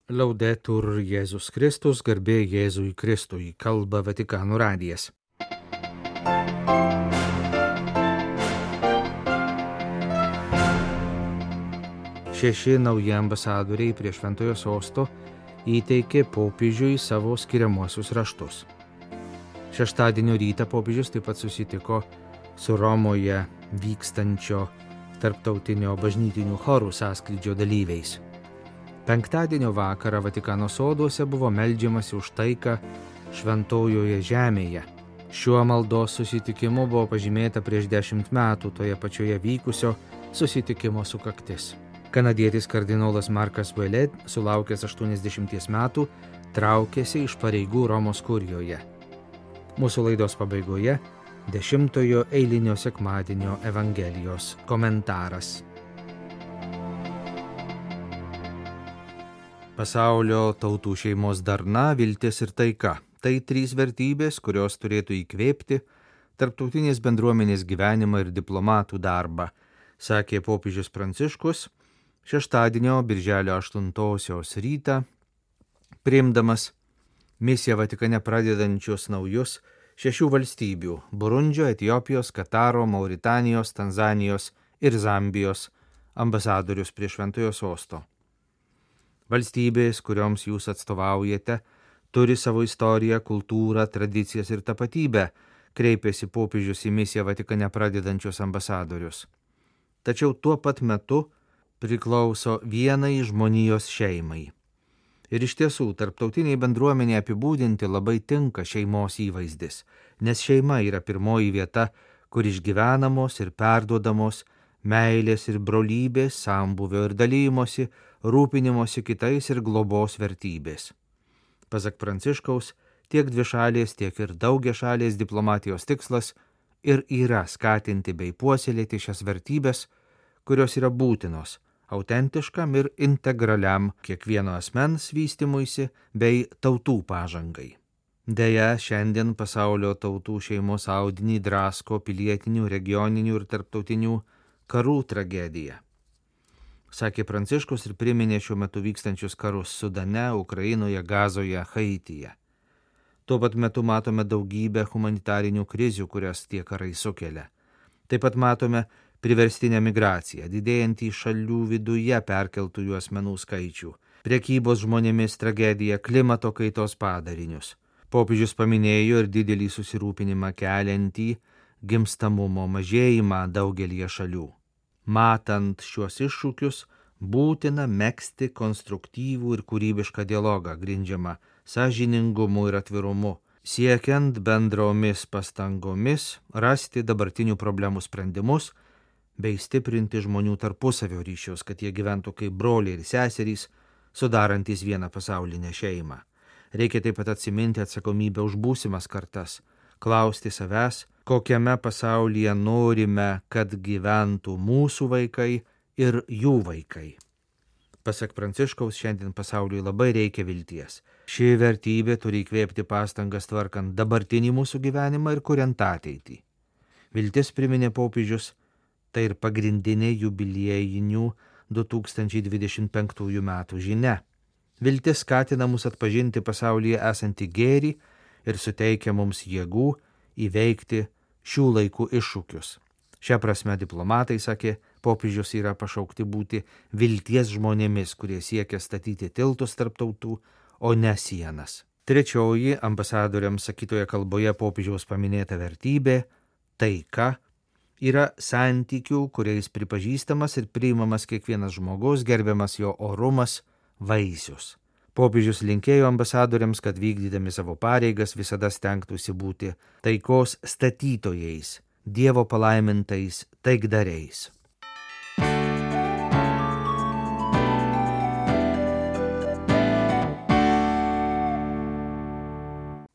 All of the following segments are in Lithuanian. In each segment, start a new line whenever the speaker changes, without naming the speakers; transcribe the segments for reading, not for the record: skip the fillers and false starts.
Laudetur Jėzus Kristus, garbė Jėzui Kristui, kalba Vatikano radijas. Šeši nauji ambasadoriai prie Šventojo Sosto įteikė popiežiui savo skiriamuosius raštus. Šeštadienio rytą popiežius taip pat susitiko su Romoje vykstančio tarptautinio bažnytinių chorų sąskrydžio dalyviais. Penktadienio vakarą Vatikano soduose buvo meldžiamasi už taiką šventojoje žemėje. Šiuo maldos susitikimu buvo pažymėta prieš 10 metų toje pačioje vykusio susitikimo sukaktis. Kanadietis kardinolas Markas Ouellet, sulaukęs 80 metų, traukėsi iš pareigų Romos kurijoje. Mūsų laidos pabaigoje 10-ojo eilinio sekmadienio Evangelijos komentaras. Pasaulio tautų šeimos darna, viltis ir taika. Tai 3 vertybės, kurios turėtų įkvėpti tarptautinės bendruomenės gyvenimą ir diplomatų darbą, sakė popiežius Pranciškus šeštadienio birželio 8 rytą, priimdamas misiją Vatikane pradedančius naujus 6 valstybių – Burundžio, Etiopijos, Kataro, Mauritanijos, Tanzanijos ir Zambijos ambasadorius prie Šventojo Sosto. Valstybės, kurioms jūs atstovaujate, turi savo istoriją, kultūrą, tradicijas ir tapatybę, kreipėsi popiežius į misiją Vatikane pradedančius ambasadorius. Tačiau tuo pat metu priklauso vienai žmonijos šeimai. Ir iš tiesų, tarptautiniai bendruomeniai apibūdinti labai tinka šeimos įvaizdis, nes šeima yra pirmoji vieta, kur išgyvenamos ir perduodamos meilės ir brolybės, sambūvio ir dalymosi, rūpinimosi kitais ir globos vertybės. Pasak Pranciškaus, tiek dvišalės, tiek ir daugiašalės diplomatijos tikslas ir yra skatinti bei puoselėti šias vertybės, kurios yra būtinos autentiškam ir integraliam kiekvieno asmens vystymuisi bei tautų pažangai. Deja, šiandien pasaulio tautų šeimos audinį drasko pilietinių, regioninių ir tarptautinių karų tragedija. Sakė Pranciškus ir priminė šiuo metu vykstančius karus Sudane, Ukrainoje, Gazoje, Haityje. Tuo pat metu matome daugybę humanitarinių krizių, kurias tie karai sukelia. Taip pat matome priverstinę migraciją, didėjantį šalių viduje perkeltųjų asmenų skaičių, prekybos žmonėmis tragediją, klimato kaitos padarinius. Popiežius paminėjo ir didelį susirūpinimą keliantį gimstamumo mažėjimą daugelį šalių. Matant šiuos iššūkius, būtina megzti konstruktyvų ir kūrybišką dialogą, grindžiamą sąžiningumu ir atvirumu, siekiant bendromis pastangomis rasti dabartinių problemų sprendimus bei stiprinti žmonių tarpusavio ryšius, kad jie gyventų kaip broliai ir seserys, sudarantys vieną pasaulinę šeimą. Reikia taip pat atsiminti atsakomybę už būsimas kartas, klausti savęs, kokiame pasaulyje norime, kad gyventų mūsų vaikai ir jų vaikai. Pasak Pranciškaus, šiandien pasauliui labai reikia vilties. Ši vertybė turi įkvėpti pastangas tvarkant dabartinį mūsų gyvenimą ir kuriant ateitį. Viltis, priminė popiežius, tai ir pagrindinė jubiliejinių 2025 metų žinia. Viltis skatina mus atpažinti pasaulyje esantį gėrį ir suteikia mums jėgų įveikti šių laikų iššūkius. Šia prasme diplomatai, sakė popiežius, yra pašaukti būti vilties žmonėmis, kurie siekia statyti tiltus tarp tautų, o ne sienas. Trečioji ambasadoriams sakytoje kalboje popiežiaus paminėta vertybė – taika – yra santykių, kuriais pripažįstamas ir priimamas kiekvienas žmogus, gerbiamas jo orumas, vaisius. Popiežius linkėjo ambasadoriams, kad vykdydami savo pareigas visada stengtųsi būti taikos statytojais, Dievo palaimintais taikdariais.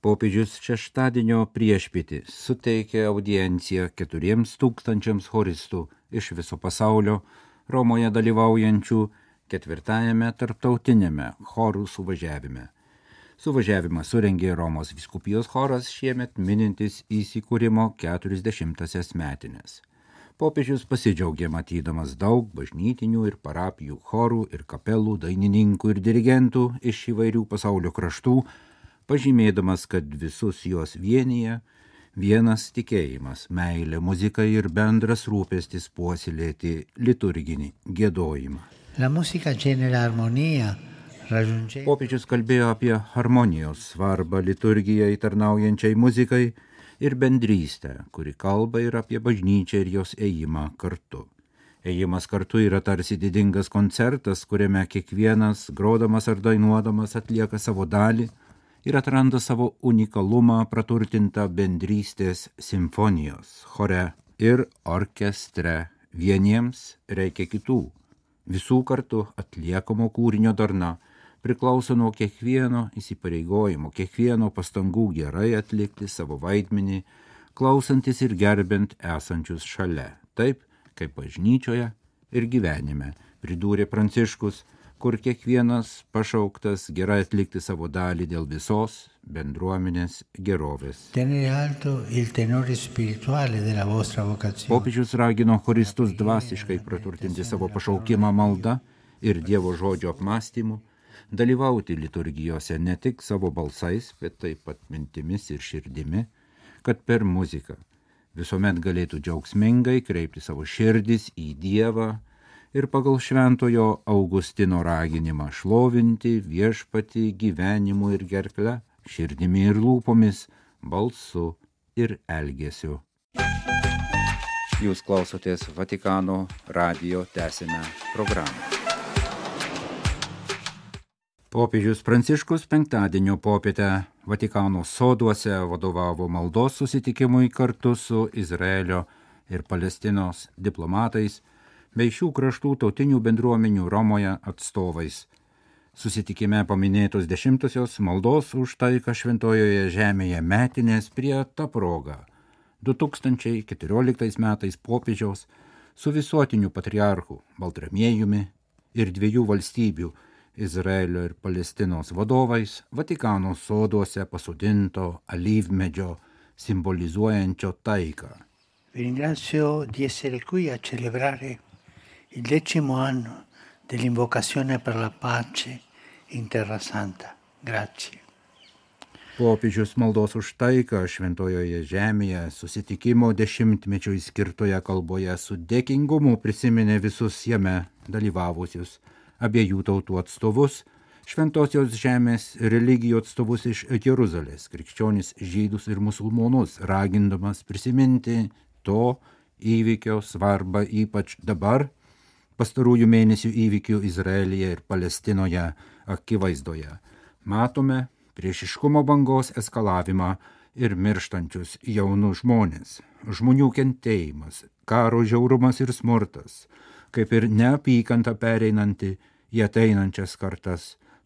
Popiežius šeštadienio priešpietį suteikė audienciją 4000 choristų iš viso pasaulio Romoje dalyvaujančių 4-ajame tarptautiniame chorų suvažiavime. Suvažiavimą surengė Romos vyskupijos choras šiemet minintis įsikūrimo 40-asias metines. Popiežius pasidžiaugė matydamas daug bažnytinių ir parapijų chorų ir kapelų, dainininkų ir dirigentų iš įvairių pasaulio kraštų, pažymėdamas, kad visus juos vienyje vienas tikėjimas, meilė muzikai ir bendras rūpestis puoselėti liturginį giedojimą.
La musica genera armonija.
Popiežius kalbėjo apie harmonijos svarbą liturgijai tarnaujančiai muzikai ir bendrystę, kuri kalba ir apie bažnyčią ir jos ėjimą kartu. Ėjimas kartu yra tarsi didingas koncertas, kuriame kiekvienas, grodamas ar dainuodamas, atlieka savo dalį ir atranda savo unikalumą praturtintą bendrystės simfonijos, chore ir orkestre. Vieniems reikia kitų. Visų kartu atliekamo kūrinio darna priklauso nuo kiekvieno įsipareigojimo, kiekvieno pastangų gerai atlikti savo vaidmenį, klausantis ir gerbent esančius šalia, taip kaip bažnyčioje ir gyvenime, pridūrė Pranciškus, kur kiekvienas pašauktas gerai atlikti savo dalį dėl visos bendruomenės gerovės. Popiežius ragino choristus dvasiškai praturtinti savo pašaukimą malda ir Dievo žodžio apmąstymu, dalyvauti liturgijose ne tik savo balsais, bet taip pat mintimis ir širdimi, kad per muziką visuomet galėtų džiaugsmingai kreipti savo širdis į Dievą ir pagal šventojo Augustino raginimą šlovinti viešpatį gyvenimu ir gerkle, širdimi ir lūpomis, balsu ir elgesiu. Jūs klausotės Vatikano radijo tęsinę programą. Popiežius Pranciškus penktadienio popietę Vatikano soduose vadovavo maldos susitikimui kartu su Izraelio ir Palestinos diplomatais bei šių kraštų tautinių bendruomenių Romoje atstovais. Susitikime paminėtos 10-osios maldos už taiką šventojoje žemėje metinės prie ta proga. 2014 metais popiežiaus su visuotiniu patriarchu Baltramiejumi ir 2 valstybių Izraelio ir Palestinos vadovais Vatikano soduose pasodinto alyvmedžio simbolizuojančio taiką.
Vi ringrazio di essere qui a celebrare il 10° anno dell'invocazione per la pace in Terra Santa. Grazie.
Popiežius maldos už taiką šventojoje žemėje susitikimo 10-mečiui skirtoje kalboje su dėkingumu prisiminė visus jame dalyvavusius abiejų tautų atstovus, šventosios žemės religijų atstovus iš Jeruzalės, krikščionis, žydus ir musulmonus, ragindamas prisiminti to įvykio svarbą ypač dabar, pastarųjų mėnesių įvykių Izraelyje ir Palestinoje akivaizdoje. Matome priešiškumo bangos eskalavimą ir mirštančius jaunus žmonės, žmonių kentėjimas, karo žiaurumas ir smurtas, kaip ir neapykanta pereinanti į ateinančias kartas,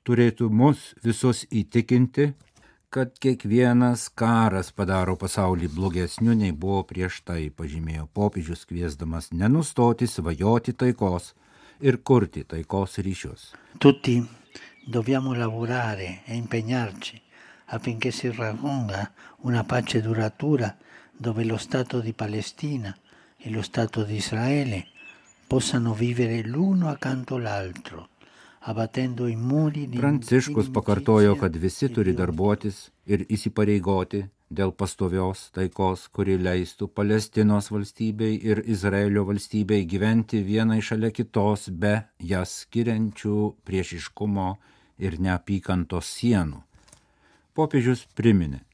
turėtų mus visus įtikinti, kad kiekvienas karas padaro pasaulį blogesniu nei buvo prieš tai, pažymėjo popiežius, kviesdamas nenustoti svajoti taikos ir kurti taikos ryšius.
Tutti dobbiamo lavorare e impegnarci affinché si raggiunga una pace duratura dove lo Stato di Palestina e lo Stato di Israele possano vivere l'uno accanto all'altro.
Pranciškus pakartojo, kad visi turi darbuotis ir įsipareigoti dėl pastovios taikos, kuri leistų Palestinos valstybei ir Izraelio valstybei gyventi vienai šalia kitos be jas skiriančių priešiškumo ir neapykantos sienų. Popiežius priminė,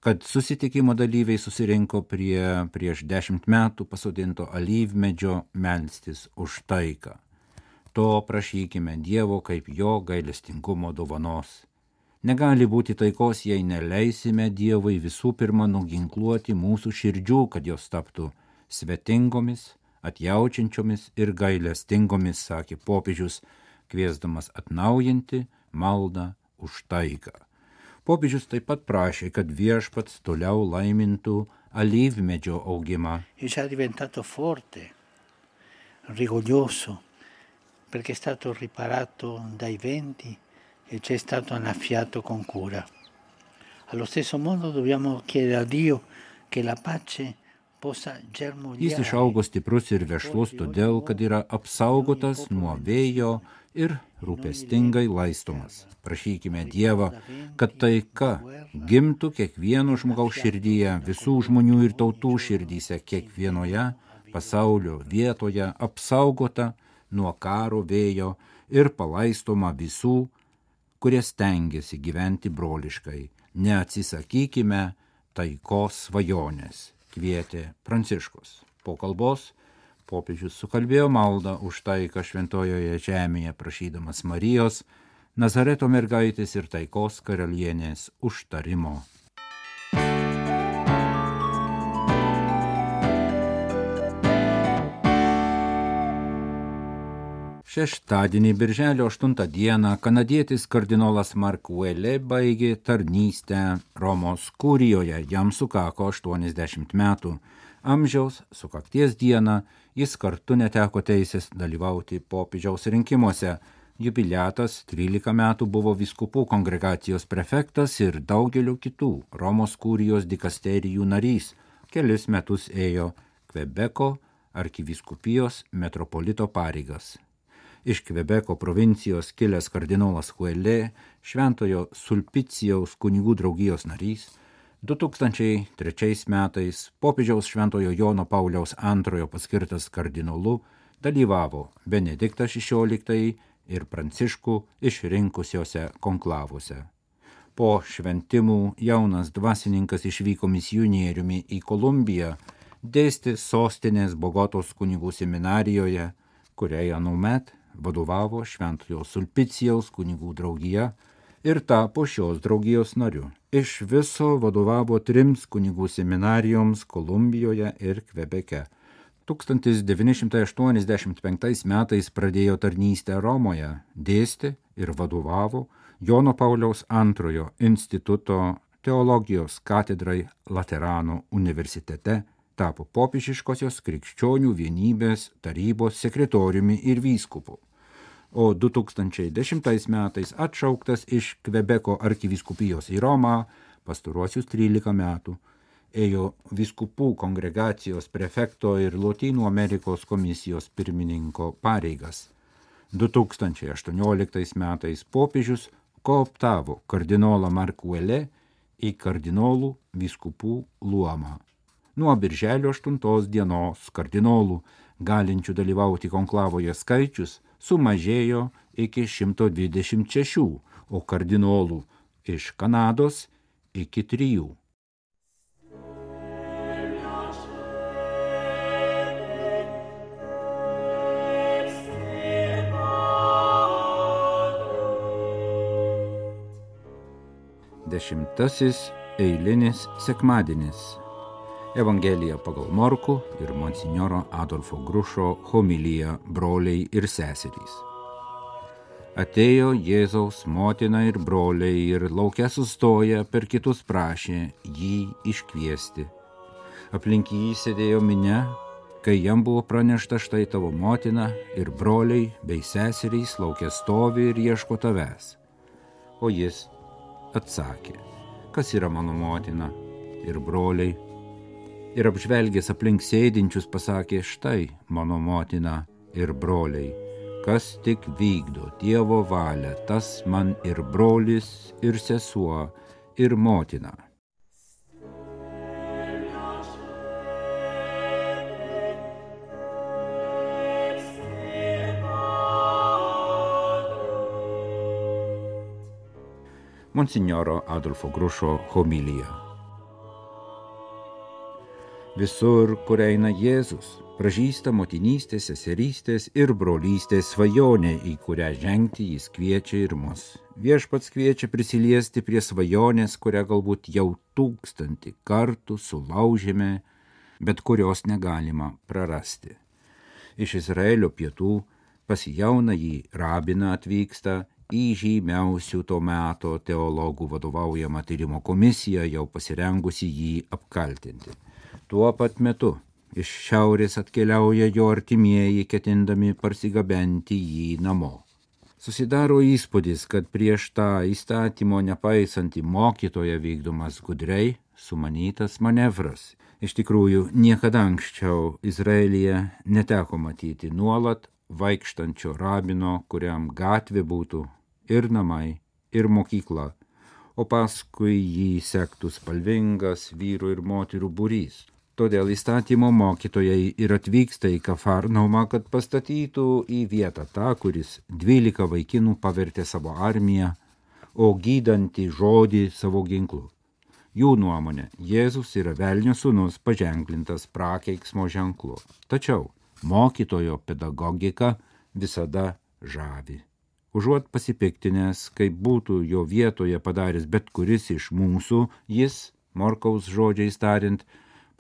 kad susitikimo dalyviai susirinko prieš 10 metų pasodinto alyvmedžio melstis už taiką. To prašykime Dievo kaip jo gailestingumo dovanos. Negali būti taikos, jei neleisime Dievui visų pirma nuginkluoti mūsų širdžių, kad jos taptų svetingomis, atjaučiančiomis ir gailestingomis, sakė popiežius, kviesdamas atnaujinti maldą už taiką. Popiežius taip pat prašė, kad viešpats toliau laimintų alyvmedžio augimą.
Jis è diventato forte, rigoglioso, perché è stato riparato dai venti e ci è stato annaffiato con cura. Allo stesso modo dobbiamo chiedere a Dio che la pace possa
Jis
germogliare.
išaugo stiprus ir vešlus todėl, kad yra apsaugotas nuo vėjo ir rūpestingai laistomas. Prašykime Dievą, kad taika gimtų kiekvieno žmogaus širdyje, visų žmonių ir tautų širdyse, kiekvienoje pasaulio vietoje apsaugota nuo karo vėjo ir palaistoma visų, kurie stengiasi gyventi broliškai. Neatsisakykime taikos svajonės, kvietė Pranciškus. Po kalbos popiežius sukalbėjo maldą už taiką šventojoje žemėje, prašydamas Marijos, Nazareto mergaitės ir taikos karalienės užtarimo. Šeštadienį, birželio 8 dieną, kanadietis kardinolas Mark Ouellet baigė tarnystę Romos kurijoje, jam sukako 80 metų. Amžiaus sukakties dieną jis kartu neteko teisės dalyvauti popiežiaus rinkimuose. Jubiliatas 13 metų buvo vyskupų kongregacijos prefektas ir daugelio kitų Romos kurijos dikasterijų narys. Kelis metus ėjo Kvebeko arkivyskupijos metropolito pareigas. Iš Kvebeko provincijos kilęs kardinolas Ouellet, Šventojo Sulpicijaus kunigų draugijos narys, 2003 metais popiežiaus Šventojo Jono Pauliaus II paskirtas kardinolu, dalyvavo Benediktas XVI ir Pranciškų išrinkusiuose konklavuose. Po šventimų jaunas dvasininkas išvyko misionieriumi į Kolumbiją, dėstė sostinės Bogotos kunigų seminarijoje, kuriai anuomet vadovavo Šventojo Sulpicijaus kunigų draugija ir tapo šios draugijos nariu. Iš viso vadovavo 3 kunigų seminarijoms Kolumbijoje ir Kvebeke. 1985 metais pradėjo tarnystę Romoje, dėstė ir vadovavo Jono Pauliaus II instituto teologijos katedrai Laterano universitete, tapo popiežiškosios krikščionių vienybės tarybos sekretoriumi ir vyskupu, o 2010 metais atšauktas iš Kvebeko arkivyskupijos į Romą, pastaruosius 13 metų ėjo vyskupų kongregacijos prefekto ir Lotynų Amerikos komisijos pirmininko pareigas. 2018 metais popiežius kooptavo kardinolą Mark Ouellet į kardinolų vyskupų luomą. Nuo birželio 8 dienos kardinolų galinčių dalyvauti konklavoje skaičius sumažėjo iki 126, o kardinolų iš Kanados iki 3. Dešimtasis eilinis sekmadienis. Evangelija pagal Morkų ir monsinjoro Adolfo Grušo homilija broliai ir seserys. Atėjo Jėzaus motina ir broliai ir lauke sustoję per kitus prašė jį iškviesti. Aplink jį sėdėjo minia, kai jam buvo pranešta, štai tavo motina ir broliai bei seserys lauke stovi ir ieško tavęs. O jis atsakė, kas yra mano motina ir broliai, ir apžvelgęs aplink sėdinčius pasakė, štai mano motina ir broliai, kas tik vykdo Dievo valią, tas man ir brolis, ir sesuo, ir motina. Monsinjoro Adolfo Grušo homilija. Visur, kur eina Jėzus, pražįsta motinystės, seserystės ir brolystės svajonė, į kurią žengti jis kviečia ir mus. Viešpats kviečia prisiliesti prie svajonės, kurią galbūt jau 1000 kartų sulaužėme, bet kurios negalima prarasti. Iš Izraelio pietų pas jaunąjį rabiną atvyksta į žymiausių to meto teologų vadovaujamą tyrimo komisiją, jau pasirengusi jį apkaltinti. Tuo pat metu iš šiaurės atkeliauja jo artimieji, ketindami parsigabenti jį namo. Susidaro įspūdis, kad prieš tą įstatymo nepaisantį mokytoją vykdomas gudriai sumanytas manevras. Iš tikrųjų, niekada anksčiau Izraelyje neteko matyti nuolat vaikštančio rabino, kuriam gatvė būtų ir namai, ir mokykla, o paskui jį sektų spalvingas vyrų ir moterų būrys. Todėl įstatymo mokytojai ir atvyksta į Kafarnaumą, kad pastatytų į vietą tą, kuris 12 vaikinų pavertė savo armiją, o gydantį žodį savo ginklu. Jų nuomonė, Jėzus yra velnio sūnus paženklintas prakeiksmo ženklu. Tačiau mokytojo pedagogika visada žavi. Užuot pasipiktinęs, kaip būtų jo vietoje padaręs bet kuris iš mūsų, jis, Morkaus žodžiais tariant,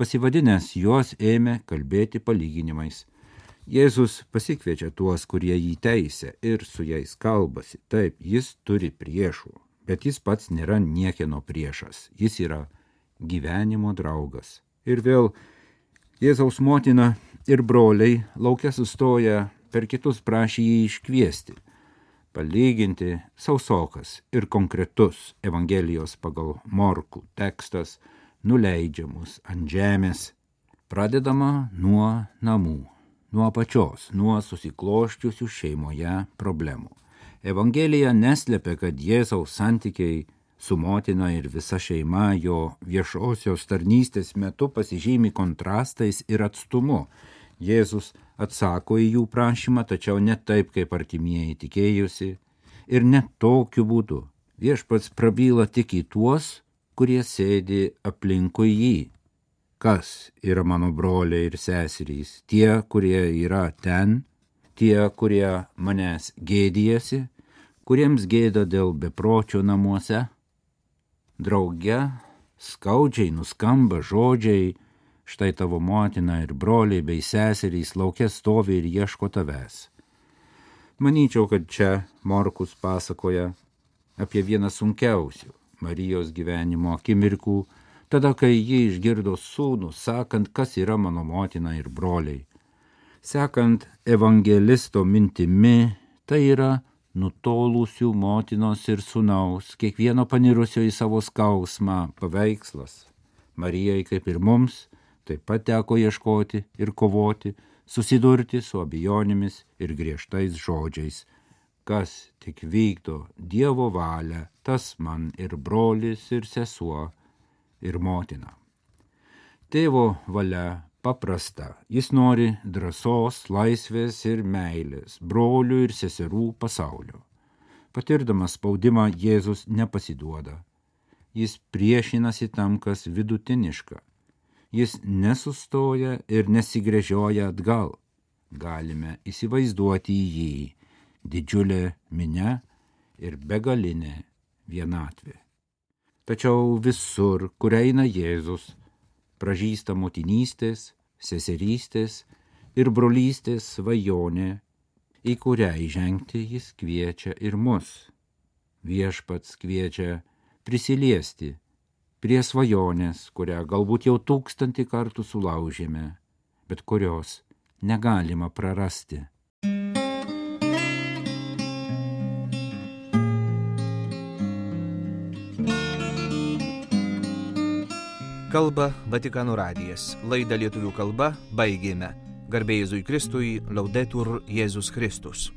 pasivadinęs juos ėmė kalbėti palyginimais. Jėzus pasikviečia tuos, kurie jį teisia ir su jais kalbasi. Taip, jis turi priešų, bet jis pats nėra niekieno priešas. Jis yra gyvenimo draugas. Ir vėl Jėzaus motina ir broliai lauke sustoja per kitus prašė jį iškviesti. Palyginti sausokas ir konkretus Evangelijos pagal Morkų tekstas nuleidžia mus ant žemės. Pradedama nuo namų, nuo apačios, nuo susikloščiusių šeimoje problemų. Evangelija neslepia, kad Jėzaus santykiai su motina ir visa šeima jo viešosios tarnystės metu pasižymi kontrastais ir atstumu. Jėzus atsako į jų prašymą, tačiau ne taip, kaip artimieji tikėjusi, ir ne tokiu būdu. Viešpats prabyla tik į tuos, kurie sėdi aplinkui jį. Kas yra mano broliai ir seserys? Tie, kurie yra ten, tie, kurie manęs gėdijasi, kuriems gėda dėl bepročio namuose. Drauge skaudžiai nuskamba žodžiai, štai tavo motina ir broliai bei seserys lauke stovi ir ieško tavęs. Manyčiau, kad čia Morkus pasakoja apie vieną sunkiausių Marijos gyvenimo akimirkų, tada, kai ji išgirdo sūnų, sakant, kas yra mano motina ir broliai. Sekant evangelisto mintimi, tai yra nutolusių motinos ir sūnaus, kiekvieno panirusio į savo skausmą paveikslas. Marijai, kaip ir mums, taip pat teko ieškoti ir kovoti, susidurti su abejonėmis ir griežtais žodžiais. Kas tik vykdo Dievo valią, tas man ir brolis, ir sesuo, ir motina. Tėvo valia paprasta. Jis nori drąsos, laisvės ir meilės, brolių ir seserų pasaulio. Patirdamas spaudimą, Jėzus nepasiduoda. Jis priešinasi tam, kas vidutiniška. Jis nesustoja ir nesigręžioja atgal. Galime įsivaizduoti jį. Didžiulė minia ir begalinė vienatvė. Tačiau visur, kur eina Jėzus, pražysta motinystės, seserystės ir brolystės svajonė, į kurią įžengti jis kviečia ir mus. Viešpats kviečia prisiliesti prie svajonės, kurią galbūt jau 1000 kartų sulaužėme, bet kurios negalima prarasti.
Kalba Vatikano radijas. Laidą lietuvių kalba baigėme. Garbė Jėzui Kristui, Laudetur Jėzus Kristus.